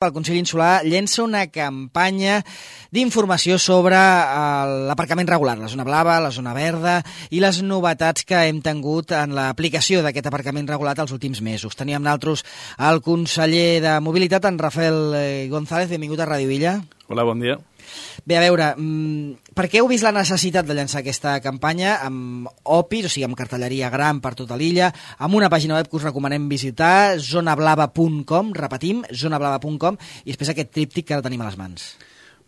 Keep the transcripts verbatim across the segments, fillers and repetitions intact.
El Consell Insular llença una campanya d'informació sobre l'aparcament regular, la zona blava, la zona verda i les novetats que hem tingut en l'aplicació d'aquest aparcament regulat els últims mesos. Teníem nosaltres el conseller de Mobilitat, en Rafael González. Benvingut a Ràdio Illa. Hola, bon dia. Bé, a veure, per què heu vist la necessitat de llançar aquesta campanya amb opis, o sigui, amb cartelleria gran per tota l'illa, amb una pàgina web que us recomanem visitar, zona blava punt com, repetim, zona blava punt com, i després aquest tríptic que ara tenim a les mans?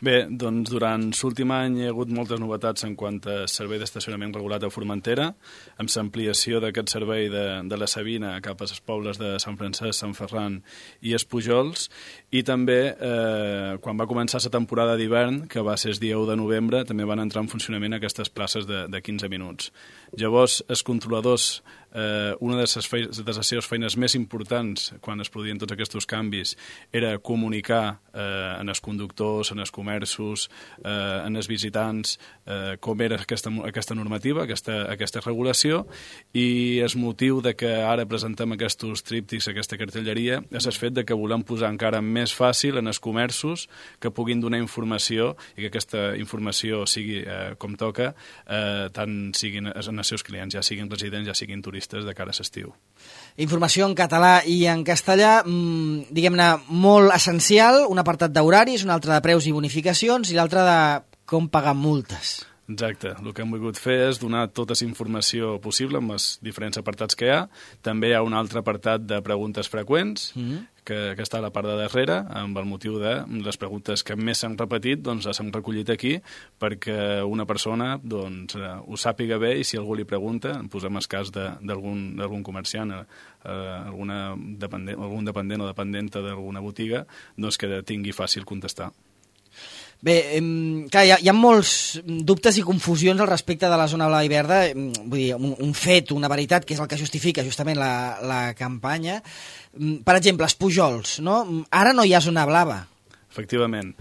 Bé, doncs durant l'últim any hi ha hagut moltes novetats en quant a servei d'estacionament regulat a Formentera, amb l'ampliació d'aquest servei de, de la Sabina cap als pobles de Sant Francesc, Sant Ferran i Espujols, i també eh, quan va començar la temporada d'hivern, que va ser el dia u de novembre, també van entrar en funcionament aquestes places de, de quinze minuts. Llavors, els controladors, eh, una de les, feines, de les seves feines més importants quan es produïen tots aquests canvis era comunicar eh, en els conductors, en els comerços, eh, en els visitants, eh, com era aquesta, aquesta normativa, aquesta, aquesta regulació, i el motiu de que ara presentem aquests tríptics, aquesta cartelleria, és el fet de que volem posar encara més fàcil en els comerços que puguin donar informació i que aquesta informació sigui eh, com toca, eh, tant siguin en els seus clients, ja siguin residents, ja siguin turistes de cara a l'estiu. Informació en català i en castellà, mmm, diguem-ne, molt essencial, un apartat d'horaris, un altre de preus i bonificacions i l'altre de com pagar multes. Exacte. El que hem volgut fer és donar tota la informació possible amb els diferents apartats que hi ha. També hi ha un altre apartat de preguntes freqüents, mm-hmm. que, que està a la part de darrere, amb el motiu de les preguntes que més s'han repetit, doncs les hem recollit aquí perquè una persona doncs, ho sàpiga bé, i si algú li pregunta, posem el cas d'algun comerciant, eh, alguna dependent, algun dependent o dependenta d'alguna botiga, doncs que tingui fàcil contestar. Bé, clar, hi ha, hi ha molts dubtes i confusions al respecte de la zona blava i verda, vull dir, un, un fet, una veritat, que és el que justifica justament la, la campanya. Per exemple, Espujols, no? Ara no hi ha zona blava. Efectivament.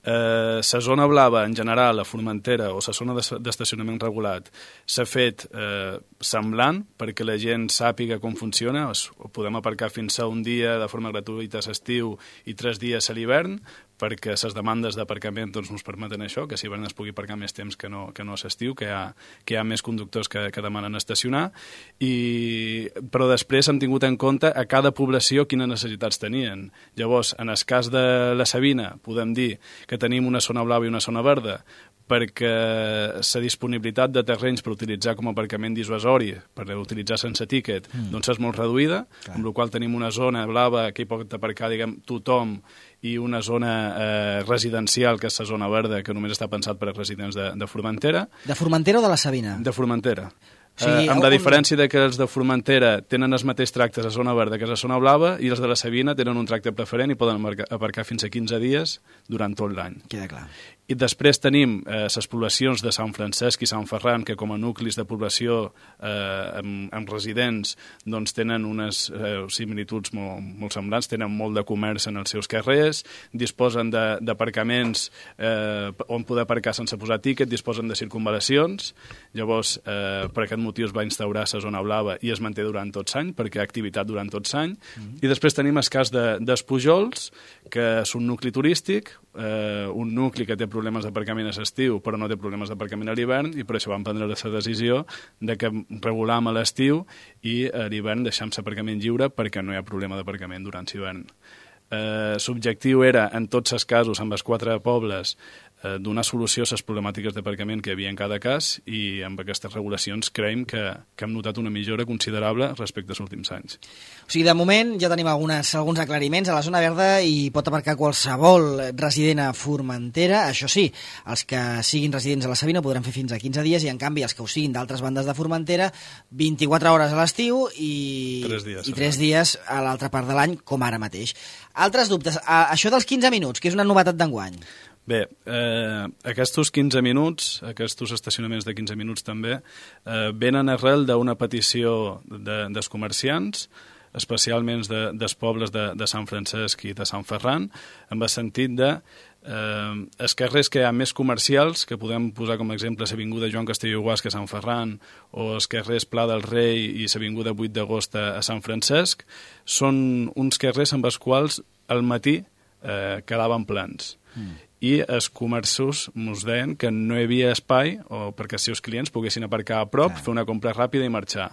La eh, zona blava, en general, a Formentera, o la zona d'estacionament regulat, s'ha fet eh, semblant perquè la gent sàpiga com funciona. Es, podem aparcar fins a un dia de forma gratuïta a l'estiu i tres dies a l'hivern, perquè les demandes d'aparcament doncs, ens permeten això, que si l'hivern es pugui aparcar més temps que no, que no a l'estiu, que, hi ha, que hi ha més conductors que, que demanen estacionar, i, però després hem tingut en compte a cada població quines necessitats tenien. Llavors, en el cas de la Sabina, podem dir que tenim una zona blava i una zona verda, perquè la disponibilitat de terrenys per utilitzar com a aparcament dissuasori, per utilitzar sense tíquet, mm. doncs és molt reduïda, Clar. Amb la qual tenim una zona blava que hi pot aparcar, diguem, tothom, i una zona eh, residencial, que és la zona verda, que només està pensat per als residents de, de Formentera. De Formentera o de la Sabina? De Formentera. O sigui, eh, amb la diferència de que els de Formentera tenen els mateixos tractes a zona verda que a zona blava, i els de la Sabina tenen un tracte preferent i poden aparcar fins a quinze dies durant tot l'any. Queda clar. I després tenim eh, les poblacions de Sant Francesc i Sant Ferran, que com a nuclis de població eh, amb, amb residents doncs tenen unes eh, similituds molt, molt semblants, tenen molt de comerç en els seus carrers, disposen d'aparcaments eh, on poder aparcar sense posar tíquet, disposen de circunvalacions. Llavors, eh, per aquest motiu es va instaurar la zona blava i es manté durant tot l'any, perquè hi ha activitat durant tot l'any. Mm-hmm. I després tenim el cas d'Espujols, de, que és un nucli turístic, eh, un nucli que té problemes d'aparcament a l'estiu, però no té problemes d'aparcament a l'hivern, i per això vam prendre la decisió de que regulam a l'estiu i a l'hivern deixam l'aparcament lliure perquè no hi ha problema d'aparcament durant l'hivern. Eh, L'objectiu era, en tots els casos, amb els quatre pobles, eh, donar solució a les problemàtiques d'aparcament que hi havia en cada cas, i amb aquestes regulacions creiem que, que hem notat una millora considerable respecte als últims anys. O sigui, de moment ja tenim algunes, alguns aclariments. A la zona verda hi pot aparcar qualsevol resident a Formentera. Això sí, els que siguin residents a la Sabina podran fer fins a quinze dies, i en canvi els que ho siguin d'altres bandes de Formentera, vint-i-quatre hores a l'estiu i tres dies, i tres dies a l'altra part de l'any, com ara mateix. Altres dubtes? Això dels quinze minuts, que és una novetat d'enguany. Bé, eh, aquests quinze minuts, aquests estacionaments de quinze minuts també, eh, venen arrel d'una petició de, dels comerciants, especialment de, dels pobles de, de Sant Francesc i de Sant Ferran, amb el sentit de eh, els carrers que hi ha més comercials, que podem posar com a exemple l'avinguda Joan Castelló i Guasca a Sant Ferran, o els carrers Pla del Rei i l'avinguda vuit d'agost a Sant Francesc, són uns carrers amb els quals al matí eh, quedaven plens. Mm. I els comerços ens deien que no hi havia espai o perquè els seus clients poguessin aparcar a prop, Clar. fer una compra ràpida i marxar.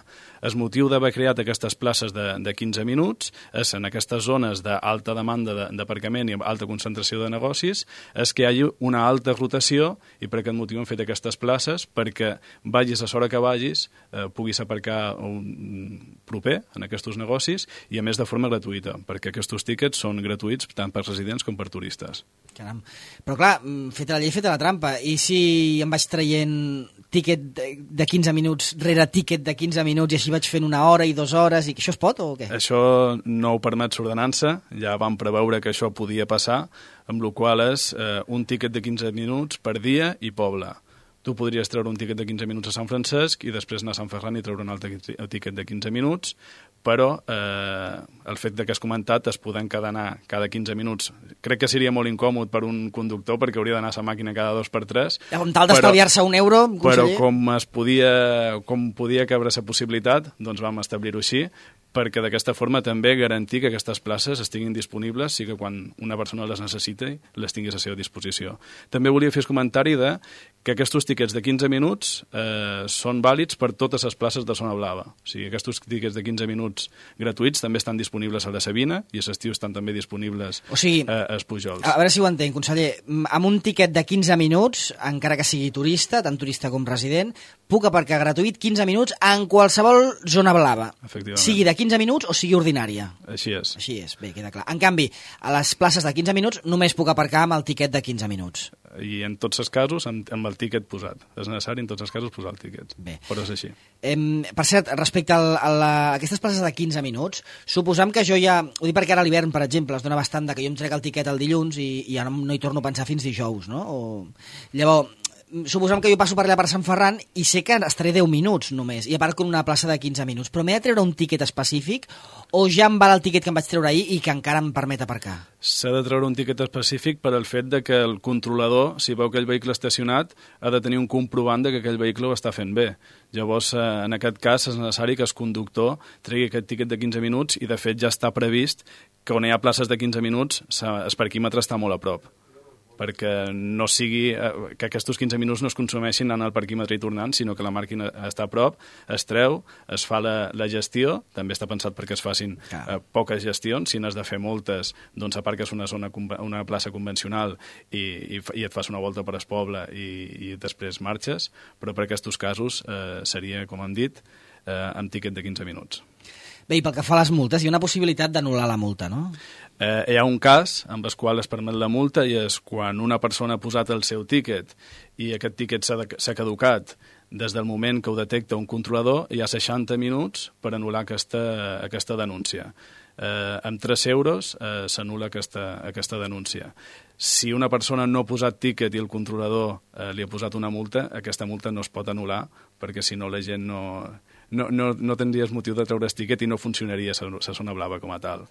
El motiu d'haver creat aquestes places de, de quinze minuts és en aquestes zones d'alta demanda d'aparcament i alta concentració de negocis és que hi hagi una alta rotació i per aquest motiu hem fet aquestes places perquè vagis a l'hora que vagis eh, puguis aparcar un proper en aquests negocis i a més de forma gratuïta perquè aquests tíquets són gratuïts tant per residents com per turistes. Caram. Però clar, feta la llei, feta la trampa. I si em vaig traient tíquet de quinze minuts rere tíquet de quinze minuts i així vaig fent una hora i dues hores, i que això es pot o què? Això no ho permet l'ordenança, ja vam preveure que això podia passar, amb la qual és eh, un tíquet de quinze minuts per dia i poble. Tu podries treure un tíquet de quinze minuts a Sant Francesc i després anar a Sant Ferran i treure un altre tíquet de quinze minuts, però eh, el fet de que has comentat es poden quedar anar cada quinze minuts. Crec que seria molt incòmode per un conductor perquè hauria d'anar a la màquina cada dos per tres. Amb tal d'estalviar-se un euro, conseller. Però com es podia, com podia cabre la possibilitat, doncs vam establir-ho així, perquè d'aquesta forma també garantir que aquestes places estiguin disponibles i que quan una persona les necessiti les tinguis a la seva disposició. També volia fer el comentari de que aquests tíquets de quinze minuts eh, són vàlids per totes les places de zona blava. O sigui, aquests tíquets de quinze minuts gratuïts també estan disponibles a la Sabina i a l'estiu estan també disponibles o sigui, eh, als Pujols. A veure si ho entenc, conseller. Amb un tiquet de quinze minuts, encara que sigui turista, tant turista com resident, puc aparcar gratuït quinze minuts en qualsevol zona blava. Efectivament. Sigui de quinze minuts o sigui ordinària. Així és. Així és, bé, queda clar. En canvi, a les places de quinze minuts només puc aparcar amb el tiquet de quinze minuts. I en tots els casos amb, amb el tíquet posat. És necessari en tots els casos posar el tíquet. Bé. Però és així. Eh, per cert, respecte al, a, la, a aquestes places de quinze minuts, suposam que jo ja... Ho dic perquè ara a l'hivern, per exemple, es dona bastant de que jo em trec el tiquet el dilluns i, i ja no, no hi torno a pensar fins dijous, no? O... Llavors, suposam que jo passo per allà per Sant Ferran i sé que estaré deu minuts només i aparco en una plaça de quinze minuts, però m'he de treure un tíquet específic o ja em val el tíquet que em vaig treure ahir i que encara em permet aparcar? S'ha de treure un tíquet específic per al fet de que el controlador, si veu aquell vehicle estacionat, ha de tenir un comprovant de que aquell vehicle ho està fent bé. Llavors, en aquest cas, és necessari que el conductor tregui aquest tíquet de quinze minuts i, de fet, ja està previst que on hi ha places de quinze minuts el parquímetre està molt a prop, perquè no sigui que aquests quinze minuts no es consumeixin anant al parquímetre i tornant, sinó que la màquina està a prop, es treu, es fa la, la gestió, també està pensat perquè es facin eh, poques gestions, si n'has de fer moltes, doncs aparques una zona, una plaça convencional i, i, i et fas una volta per el poble i, i després marxes, però per aquests casos eh, seria, com hem dit, eh, amb tíquet de quinze minuts. Bé, i pel que fa a les multes, hi ha una possibilitat d'anul·lar la multa, no? Eh, hi ha un cas amb el qual es permet la multa i és quan una persona ha posat el seu tíquet i aquest tíquet s'ha caducat des del moment que ho detecta un controlador, hi ha seixanta minuts per anul·lar aquesta, aquesta denúncia. Eh, amb tres euros eh, s'anul·la aquesta, aquesta denúncia. Si una persona no ha posat tíquet i el controlador eh, li ha posat una multa, aquesta multa no es pot anul·lar perquè si no la gent no... No, no, no tindries motiu de treure el tíquet i no funcionaria la zona blava com a tal.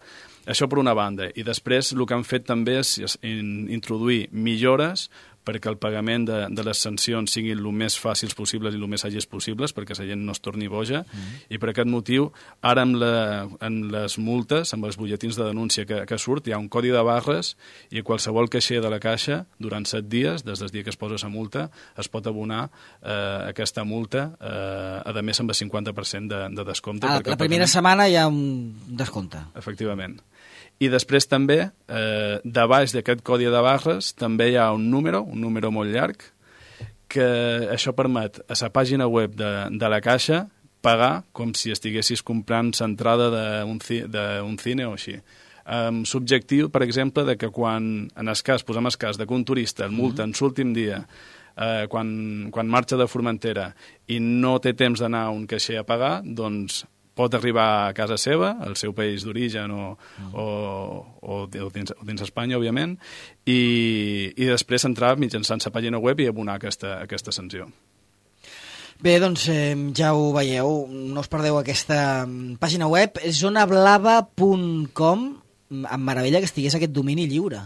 Això per una banda. I després el que han fet també és introduir millores perquè el pagament de, de les sancions siguin el més fàcils possibles i el més àgils possibles, perquè la gent no es torni boja, mm. i per aquest motiu, ara amb, la, amb les multes, amb els butlletins de denúncia que, que surt, hi ha un codi de barres i qualsevol caixer de la caixa, durant set dies, des del dia que es posa la multa, es pot abonar eh, aquesta multa, eh, a més amb el cinquanta per cent de, de descompte. Ah, la primera pagament... setmana hi ha un descompte. Efectivament. I després també, eh, de baix d'aquest codi de barres, també hi ha un número, un número molt llarg, que això permet a la pàgina web de, de la Caixa pagar com si estiguessis comprant l'entrada d'un cine o així. Amb l'objectiu, per exemple, de que quan, en el cas, posem el cas, de que un turista el multa en l'últim dia, eh, quan, quan marxa de Formentera i no té temps d'anar a un caixer a pagar, doncs pot arribar a casa seva, al seu país d'origen o, mm. o, o, o, dins, o dins Espanya, òbviament, i, i després entrar mitjançant la pàgina web i abonar aquesta, aquesta sanció. Bé, doncs eh, ja ho veieu, no us perdeu aquesta pàgina web, zona blava punt com, em meravella que estigués aquest domini lliure.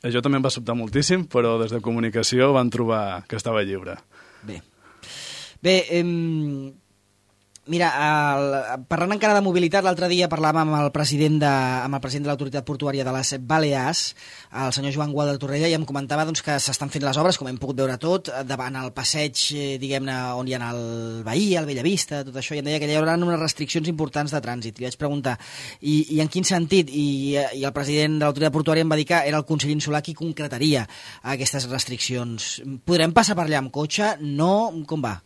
Això també em va sobtar moltíssim, però des de comunicació van trobar que estava lliure. Bé, Bé eh, Mira, el, parlant encara de mobilitat, l'altre dia parlàvem amb el president de, amb el president de l'Autoritat Portuària de les Balears, el senyor Joan Gual de Torrella, i em comentava doncs, que s'estan fent les obres, com hem pogut veure tot, davant el passeig, eh, diguem-ne, on hi ha el Bahia, el Bellavista, tot això, i em deia que hi haurà unes restriccions importants de trànsit. Li vaig preguntar, i, i en quin sentit? I, i el president de l'Autoritat Portuària em va dir que era el conseller Insulà qui concretaria aquestes restriccions. Podrem passar per allà amb cotxe? No? Com va?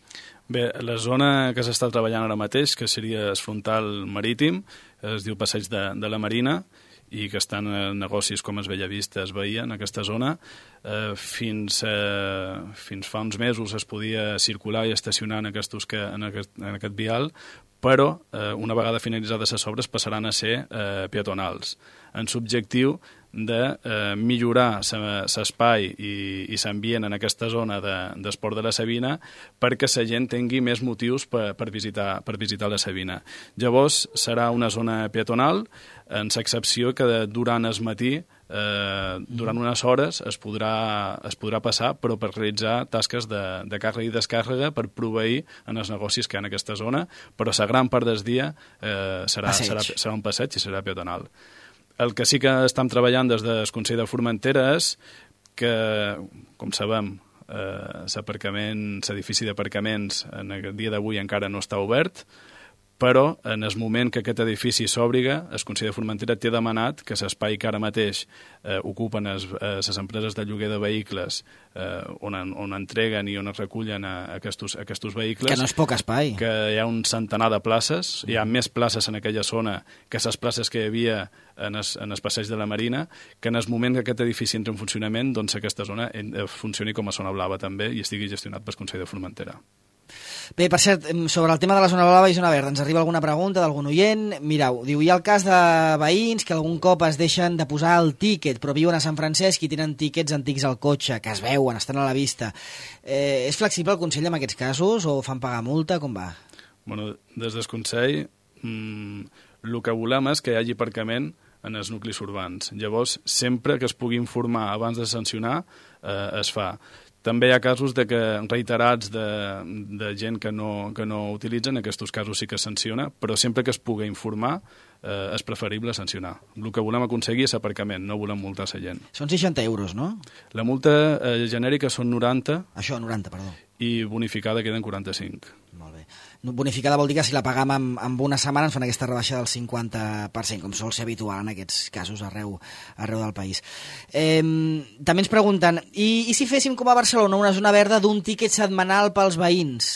Bé, la zona que s'està treballant ara mateix, que seria el frontal marítim, es diu Passeig de, de la Marina, i que estan en negocis com es Bellavista, es veia en aquesta zona. Eh, fins, eh, fins fa uns mesos es podia circular i estacionar en, aquestos que, en, aquest, en aquest vial, però eh, una vegada finalitzades les obres passaran a ser eh, peatonals, en subjectiu de eh, millorar l'espai i, i l'ambient en aquesta zona d'esport de, de la Sabina perquè la gent tingui més motius per, per, visitar, per visitar la Sabina. Llavors serà una zona peatonal, en l'excepció que durant el matí, eh, durant unes hores, es podrà, es podrà passar, però per realitzar tasques de, de càrrega i descàrrega per proveir en els negocis que hi ha en aquesta zona, però la gran part del dia eh, serà, serà, serà un passeig i serà peatonal. El que sí que estem treballant des del Consell de Formentera és que, com sabem, eh, l'edifici d'aparcaments en el dia d'avui encara no està obert, però en el moment que aquest edifici s'òbriga, el Consell de Formentera té demanat que l'espai que ara mateix eh, ocupen les empreses de lloguer de vehicles eh, on, on entreguen i on es recullen a, a aquests, a aquests vehicles... Que no és poc espai. Que hi ha un centenar de places, hi ha més places en aquella zona que les places que hi havia en el, en el passeig de la Marina, que en el moment que aquest edifici entra en funcionament, doncs aquesta zona funcioni com a zona blava també i estigui gestionat pel Consell de Formentera. Bé, per cert, sobre el tema de la zona blava i zona verda, ens arriba alguna pregunta d'algun oient. Mireu, diu, hi ha el cas de veïns que algun cop es deixen de posar el tíquet, però viuen a Sant Francesc i tenen tíquets antics al cotxe, que es veuen, estan a la vista. Eh, és flexible el Consell en aquests casos o fan pagar multa? Com va? Bueno, des del Consell, mmm, el que volem és que hi hagi aparcament en els nuclis urbans. Llavors, sempre que es pugui informar abans de sancionar, eh, es fa. També hi ha casos de que reiterats de, de gent que no, que no utilitzen, en aquests casos sí que es sanciona, però sempre que es pugui informar eh, és preferible sancionar. El que volem aconseguir és aparcament, no volem multar la gent. Són seixanta euros, no? La multa eh, genèrica són noranta. Això, noranta, perdó. I bonificada queden quaranta-cinc. Molt bé. Bonificada vol dir que si la pagam amb, amb una setmana ens fan aquesta rebaixa del cinquanta per cent, com sol ser habitual en aquests casos arreu, arreu del país. Eh, també ens pregunten, i, i si féssim com a Barcelona una zona verda d'un tíquet setmanal pels veïns?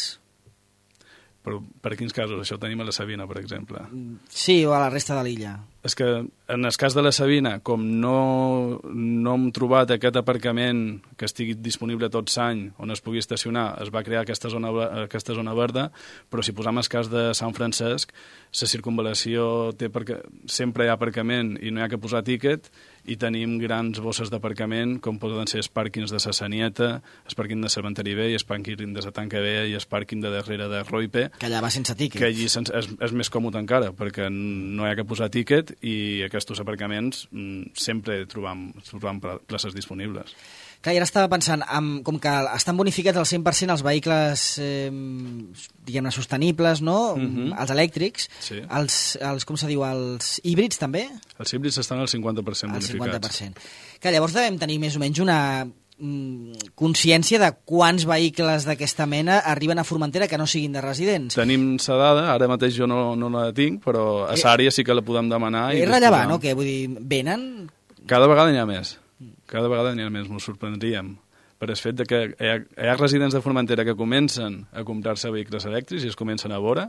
Però per quins casos? Això ho tenim a la Sabina, per exemple. Sí, o a la resta de l'illa. És que en el cas de la Sabina, com no, no hem trobat aquest aparcament que estigui disponible tot l'any on es pugui estacionar, es va crear aquesta zona, aquesta zona verda, però si posam el cas de Sant Francesc, la circunvalació té perquè sempre hi ha aparcament i no hi ha que posar tíquet, i tenim grans bosses d'aparcament, com poden ser els pàrquings de la Sanieta, el pàrquing de Cervanteri B, i el pàrquing de la Tanca B i el pàrquing de darrere de Roipe. Que allà va sense tíquet. Que allí és, és més còmode encara, perquè no hi ha que posar tíquet i aquests aparcaments sempre trobam, trobam places disponibles. Clar, i ara estava pensant, amb, com que estan bonificats al cent per cent els vehicles eh, diguem-ne sostenibles, no? Uh-huh. Els elèctrics, sí. els, els, com se diu, els híbrids també? Els híbrids estan al cinquanta per cent bonificats. Al cinquanta per cent. Clar, llavors devem tenir més o menys una mm, consciència de quants vehicles d'aquesta mena arriben a Formentera que no siguin de residents. Tenim la dada, ara mateix jo no, no la tinc, però a l'àrea sí que la podem demanar. És rellevant, no? Que vull dir, venen? Cada vegada n'hi ha més. Cada vegada n'hi ha més, m'ho sorprendríem, per el fet de que hi ha, hi ha residents de Formentera que comencen a comprar-se vehicles elèctrics i es comencen a veure,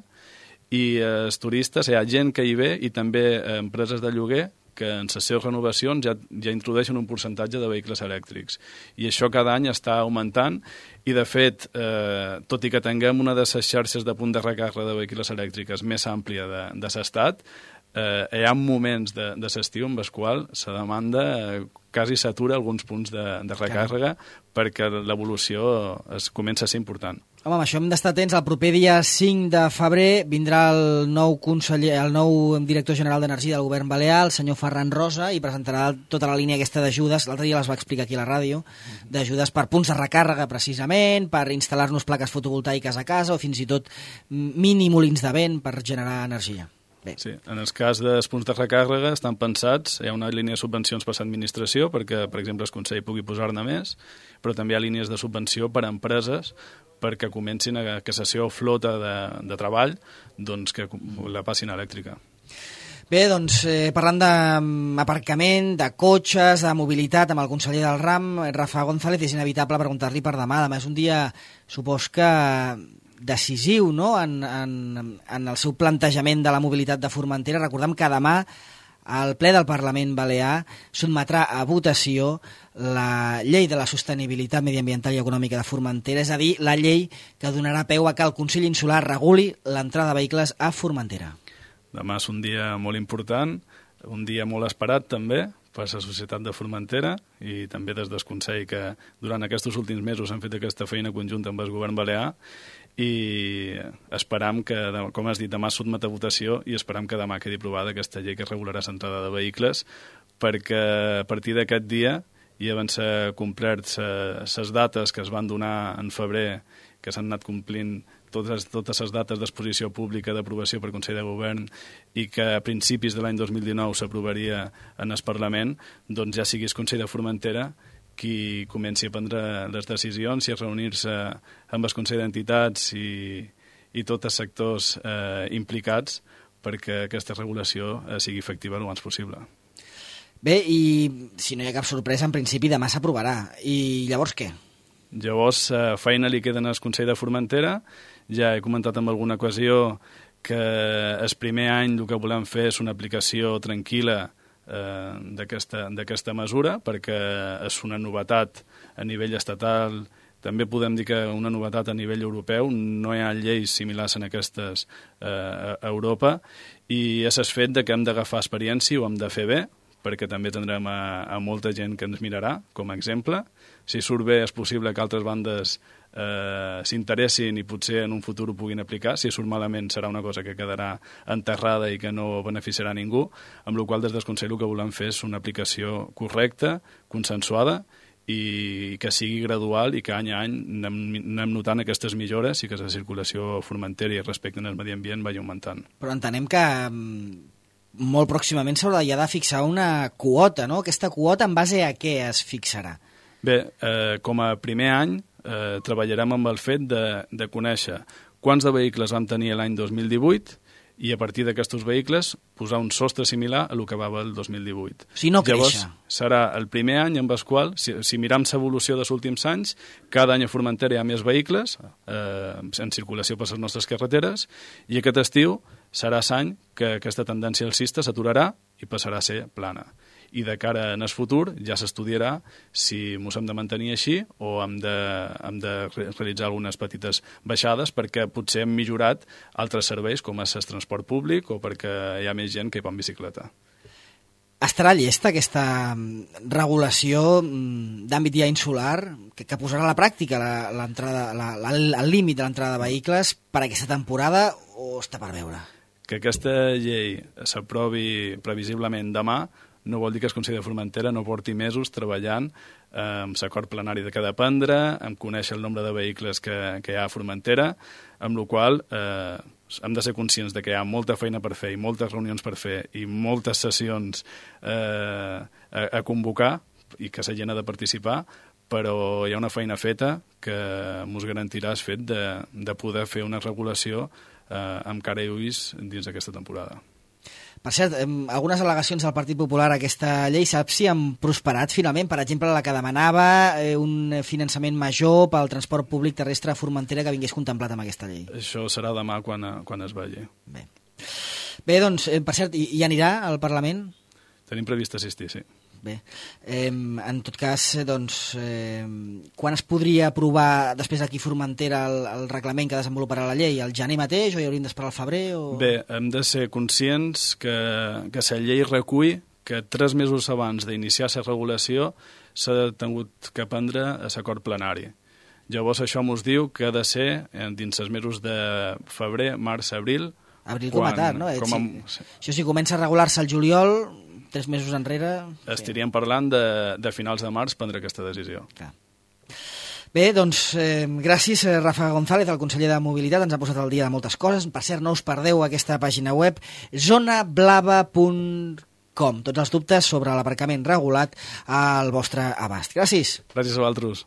i els turistes, hi ha gent que hi ve i també empreses de lloguer que en les seves renovacions ja, ja introdueixen un percentatge de vehicles elèctrics. I això cada any està augmentant i, de fet, eh, tot i que tinguem una de les xarxes de punt de recàrrega de vehicles elèctriques més àmplia de, de l'estat, eh, hi ha moments de, de l'estiu en els quals la demanda eh, quasi s'atura alguns punts de, de recàrrega perquè l'evolució es comença a ser important. Home, amb això hem d'estar atents. El proper dia cinc de febrer vindrà el nou conseller, el nou director general d'Energia del govern balear, el senyor Ferran Rosa, i presentarà tota la línia aquesta d'ajudes. L'altre dia les va explicar aquí a la ràdio, d'ajudes per punts de recàrrega, precisament, per instal·lar-nos plaques fotovoltaiques a casa o fins i tot mini molins de vent per generar energia. Bé. Sí, en el cas dels punts de recàrrega estan pensats, hi ha una línia de subvencions per l'administració perquè, per exemple, el Consell pugui posar-ne més, però també hi ha línies de subvenció per a empreses perquè comencin a que la seva flota de, de treball doncs, que la passin elèctrica. Bé, doncs, eh, parlant d'aparcament, de cotxes, de mobilitat, amb el conseller del RAM, Rafa González, és inevitable preguntar-li per demà. Demà és un dia, supos que decisiu, no?, en, en, en el seu plantejament de la mobilitat de Formentera. Recordem que demà el ple del Parlament Balear sotmetrà a votació la llei de la sostenibilitat mediambiental i econòmica de Formentera, és a dir, la llei que donarà peu a que el Consell Insular reguli l'entrada de vehicles a Formentera. Demà és un dia molt important, un dia molt esperat també per la societat de Formentera i també des del Consell que durant aquests últims mesos han fet aquesta feina conjunta amb el govern balear i esperam que, com has dit, demà sotmet a votació i esperam que demà quedi aprovada aquesta llei que regularà l'entrada de vehicles perquè a partir d'aquest dia i abans s'ha complert les dates que es van donar en febrer, que s'han anat complint totes, totes les dates d'exposició pública d'aprovació per Consell de Govern i que a principis de l'any dos mil dinou s'aprovaria en el Parlament, doncs ja sigui el Consell de Formentera qui comenci a prendre les decisions i a reunir-se amb el Consell d'Entitats i, i tots els sectors eh, implicats perquè aquesta regulació eh, sigui efectiva el abans possible. Bé, i si no hi ha cap sorpresa, en principi demà s'aprovarà. I llavors què? Llavors, eh, feina li queda al Consell de Formentera. Ja he comentat en alguna ocasió que el primer any el que volem fer és una aplicació tranquil·la eh, d'aquesta mesura, perquè és una novetat a nivell estatal. També podem dir que una novetat a nivell europeu, no hi ha lleis similars en aquestes eh, a Europa, i és el fet de que hem d'agafar experiència i ho hem de fer bé, perquè també tindrem a, a molta gent que ens mirarà, com a exemple. Si surt bé és possible que altres bandes eh, s'interessin i potser en un futur ho puguin aplicar. Si surt malament serà una cosa que quedarà enterrada i que no beneficiarà a ningú, amb la qual des del Consell el que volem fer és una aplicació correcta, consensuada, i que sigui gradual i que any a any anem, anem notant aquestes millores i que la circulació formentera i respecte al medi ambient vagi augmentant. Però entenem que molt pròximament s'haurà ja de fixar una quota, no? Aquesta quota en base a què es fixarà? Bé, eh, com a primer any eh, treballarem amb el fet de, de conèixer quants de vehicles vam tenir l'any dos mil divuit i a partir d'aquests vehicles posar un sostre similar a el que va haver el dos mil divuit. Si no Llavors, créixer. Serà el primer any en el qual, si, si miram l'evolució dels últims anys, cada any a Formentera hi ha més vehicles eh, en circulació per les nostres carreteres i aquest estiu serà l'any que aquesta tendència alcista s'aturarà i passarà a ser plana. I de cara en el futur ja s'estudiarà si ens hem de mantenir així o hem de, hem de realitzar algunes petites baixades perquè potser hem millorat altres serveis com és el transport públic o perquè hi ha més gent que hi va en bicicleta. Estarà llesta aquesta regulació d'àmbit ja insular que, que posarà a la pràctica la, la, la, el límit de l'entrada de vehicles per a aquesta temporada o està per veure? Que aquesta llei s'aprovi previsiblement demà no vol dir que el Consell de Formentera no porti mesos treballant eh, amb l'acord plenari de què ha de prendre, amb conèixer el nombre de vehicles que, que hi ha a Formentera, amb la qual eh, hem de ser conscients de que hi ha molta feina per fer i moltes reunions per fer i moltes sessions eh, a, a convocar i que la gent ha de participar, però hi ha una feina feta que ens garantirà el fet de, de poder fer una regulació eh, amb cara i ulls dins d'aquesta temporada. Per cert, algunes al·legacions del Partit Popular a aquesta llei, saps si han prosperat finalment? Per exemple, la que demanava un finançament major pel transport públic terrestre a Formentera que vingués contemplat amb aquesta llei. Això serà demà quan, quan es vegi. Bé. Bé, doncs, per cert, hi, hi anirà al Parlament? Tenim previst assistir, sí. Bé, eh, en tot cas, doncs, eh, quan es podria aprovar després aquí a Formentera el, el reglament que desenvoluparà la llei? Al gener mateix o hi hauríem d'esperar al febrer? O... Bé, hem de ser conscients que, que la llei recull que tres mesos abans d'iniciar la regulació s'ha tingut que prendre a l'acord plenari. Llavors això mos diu que ha de ser eh, dins els mesos de febrer, març, abril. Abril com a tard, no? Com a, si, això si comença a regular-se el juliol, tres mesos enrere... Estaríem parlant de, de finals de març prendre aquesta decisió. Clar. Bé, doncs, eh, gràcies, Rafa González, el conseller de Mobilitat, ens ha posat al dia de moltes coses. Per cert, no us perdeu aquesta pàgina web, zona blava punt com. Tots els dubtes sobre l'aparcament regulat al vostre abast. Gràcies. Gràcies a vosaltres.